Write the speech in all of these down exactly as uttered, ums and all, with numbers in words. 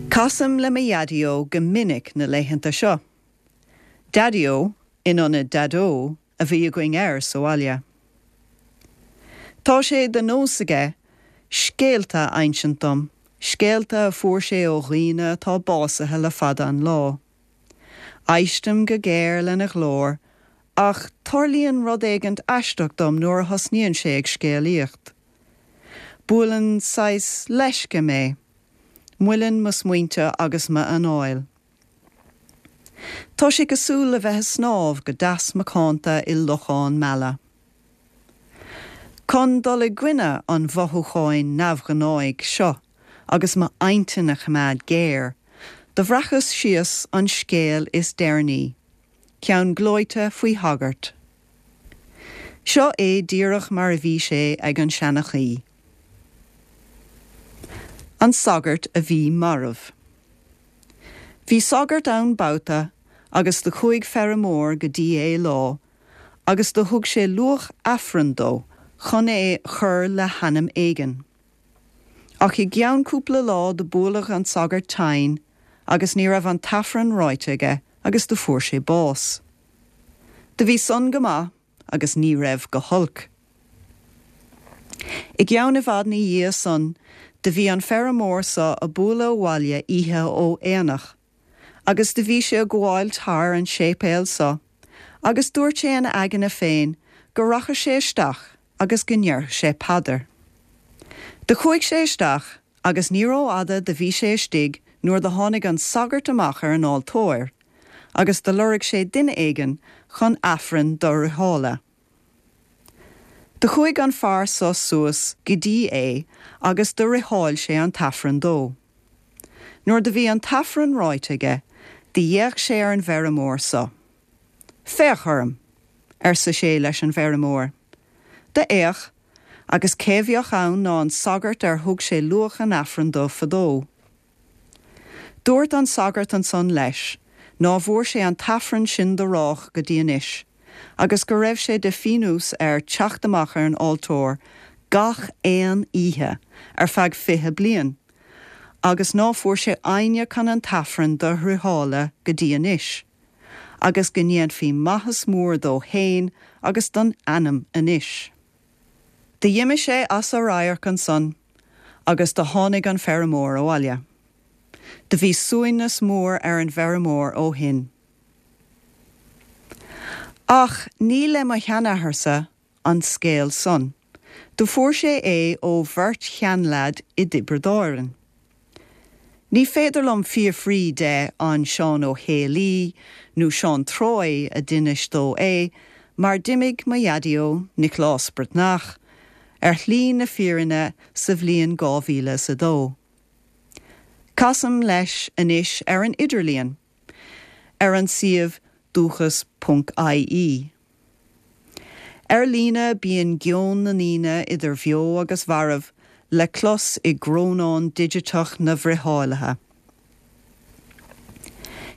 Casaim le mo Dhaideo go minic na laethanta seo. Daddy-o in ionad Daideo a bhí againn air sa bhaile. Tá sé de nós aige scéalta a insint dom, scéalta a fuair sé ó dhaoine atá básaithe le fada an lá. Éistim go géar lena ghlór, ach tarlaíonn rud éigin aisteach dom nuair a thosnaíonn sé ag scéalaíocht. Buaileann saghas leisce mé, moilleann mo smaointe agus m'anáil. Tá sé cosúil le bheith ag snámh go deas macánta i lochán meala. Chun dul i gcoinne an mhothúcháin neamhghnáigh seo agus m'intinn a choimeád géar, do bhreacas síos an scéal is deireanaí, ceann gleoite faoi shagart. Seo é díreach mar a bhí sé ag an seanchaí. An sagart a bhí marbh. Bhí sagart ann babhta agus do chuaigh feirmeoir go dtí é lá, agus do thug sé luach Aifrinn dó chun é chur le hainm éigin. Ach i gceann cúpla lá do buaileadh an sagart tinn agus ní raibh an tAifreann ráite aige agus do fuair sé bás. Do bhí san go maith agus ní raibh go holc. I gceann i bhfad ina dhiaidh san do bhí an feirmeoir seo ag bualadh abhaile oíche ó aonach, agus do bhí sé ag gabháil thar an séipéal seo, agus dúirt sé ina aigne féin go rachadh sé isteach agus go ndéarfadh sé paidir. Do chuaigh sé isteach agus ní rófhada do bhí sé istigh nuair do tháinig an sagart amach ar an altóir, agus do lorg sé duine éigin chun Aifreann do fhriotháladh. Do chuaigh an fear seo suas go dtí é agus do fhriotáil sé an tAifreann dó. Nuair do bhí an tAifreann ráite aige, d'fhéach sé ar an bhfeirmeoir seo. Féach orm, arsa sé leis an bhfeirmeoir. D'fhéach agus cé bheadh ann ná an sagart ar thug sé luach an Aifrinn dó fadó. Dúirt an sagart ansan leis, ná bhfuair sé an tAifreann sin do rádh go dtí anois, agus go raibh sé de phionós air teacht amach ar an altóir gach aon oíche ar feadh fiche bliain, agus ná fuair sé éinne chun an tAifreann do fhriotáladh go dtí anois, agus go ndéanfaí maitheas mór dó féin agus don anam anois. D'imigh sé as a radharc ansan agus do tháinig an feirmeoir abhaile. Do bhí suaimhneas mór ar an bhfeirmeoir ó shin. Ach ní le mo sheanathairsa an scéal san. Do fuair sé é ó bheirt sheanleaid i dTiobraid Árann. Ní féidir liom fiafraí de an Seán Ó Héalaí nó Seán Troy a d'inis dó é, mar d'imigh mo Dhaideo Nioclás Breatnach ar shlí na fírinne sa bhliain dhá mhíle is a dó. Casaim leis anois ar an idirlíon, ar an suíomh dúchas ponc IE. Ar líne bíonn geoin na ndaoine idir bheo agus mharbh le clos i gcrónán digiteach na bhfriothálaithe.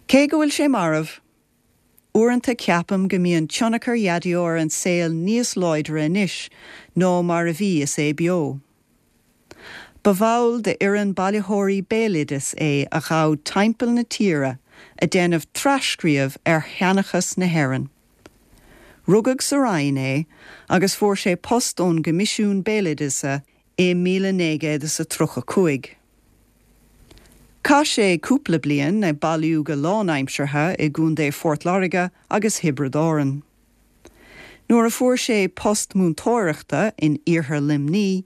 Cé go bhfuil sé marbh, uaireanta ceapaim go mbíonn tionchar Dhaideo ar an saol níos láidre anois ná mar a bhí is é beo. Ba bhall de fhoireann bailitheoirí béaloideas é a ghabh timpeall na tíre ag déanamh tras-scríobh ar sheanchas na hÉireann. Rugadh sa Rinn é agus fuair sé post ón gCoimisiún Béaloideasa i míle naoi gcéad is a tríocha cúig. Chaith sé cúpla bliain ag bailiú go lánaimseartha i gContae Phort Láirge agus Thiobraid Árann. Nuair a fuair sé post múinteoireachta in iarthar Luimnigh,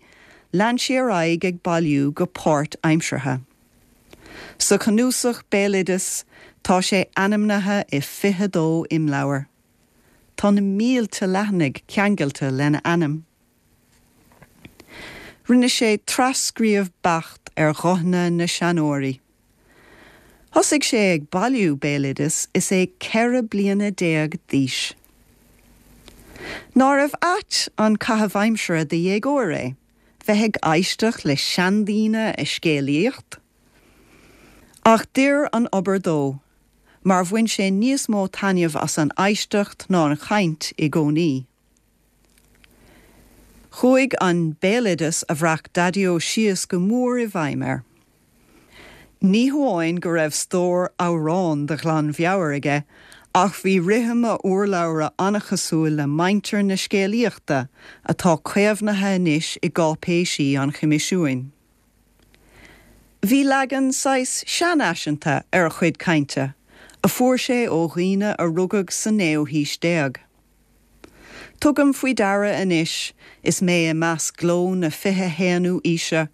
lean sé ar aghaidh ag bailiú go páirtaimseartha. Sa chnuasach béaloideas tá sé ainmnithe i fiche dó imleabhar. Tá na mílte leathanaigh ceangailte lena ainm. Rinne sé tras-scríobh beacht ar ghuthanna na seanóirí. Thosaigh sé ag bailiú béaloideas is é ceithre bliana déag d'aois. Nárbh ait an caitheamh aimsire do dhéagóir é, bheith ag éisteacht le seandaoine ag scéalaíocht? Ach d'oir an obair dó, mar bhain sé níos mó taitneamh as an éisteacht ná an chaint i gcónaí. Chuaigh an béaloideas a bhreac Daideo síos go mór i bhfeidhm air. Ní hamháin go raibh stór amhrán de ghlanmheabhair aige, ach bhí rithim a urlabhra an-chosúil le meintir na scéalaíochta atá caomhnaithe anois i gcáipéisí an Choimisiúin. Bhí leagan saghas seanfhaiseanta ar a chuid cainte, a fuair sé ó dhaoine a rugadh sa naoú haois déag. Tugaim faoi deara anois is mé i measc glúin na fiche haonú haoise,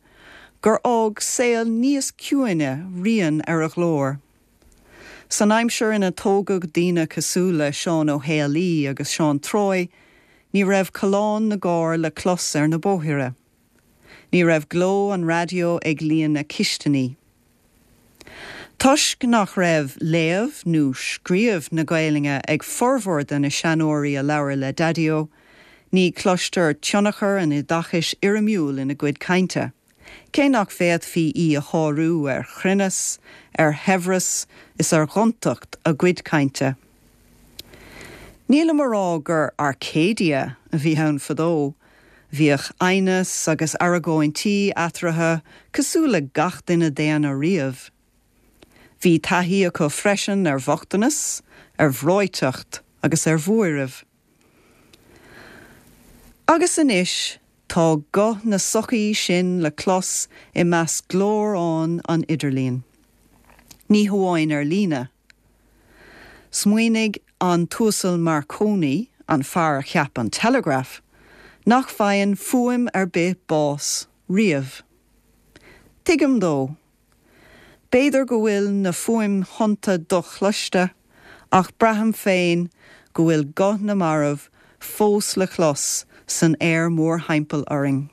gur fhág saol níos ciúine rian ar a ghlór. San aimsir ina tógadh daoine cosúil le Seán Ó Héalaí agus Seán Troy, ní raibh callán na gcarr le clos ar na bóithre. Ní raibh gleo an raidió ag líonadh na cistiní. Toisc nach raibh léamh nó scríobh na Gaeilge ag formhór de na seanóirí a labhair le Daideo, ní chloistear tionchar an oideachais fhoirmiúil ina gcuid cainte. Cé nach bhféadfaí í a shárú ar chruinneas, ar shaibhreas is ar ghontacht a gcuid cainte. Nílim ag rá gur Arcadia a bhí ann fadó, bhíodh aighneas agus argóintí eatarthu cosúil le gach duine daonna riamh. Bhí taithí acu freisin ar bhochtanas, ar bhreoiteacht agus ar bhuaireamh. Agus anois tá guth na sochaí sin le clos i measc glórtha an idirlín. Ní hamháin ar líne. Smaoinigh an tUasal Marconi an fear a cheap an teileagraf, nach bhfaigheann fuaim ar bith bás riamh. Tuigim dó. B'fhéidir go bhfuil na fuaimthonnta dochloiste ach braithim féin go bhfuil guth na marbh fós le clos san aer mórthimpeall orainn.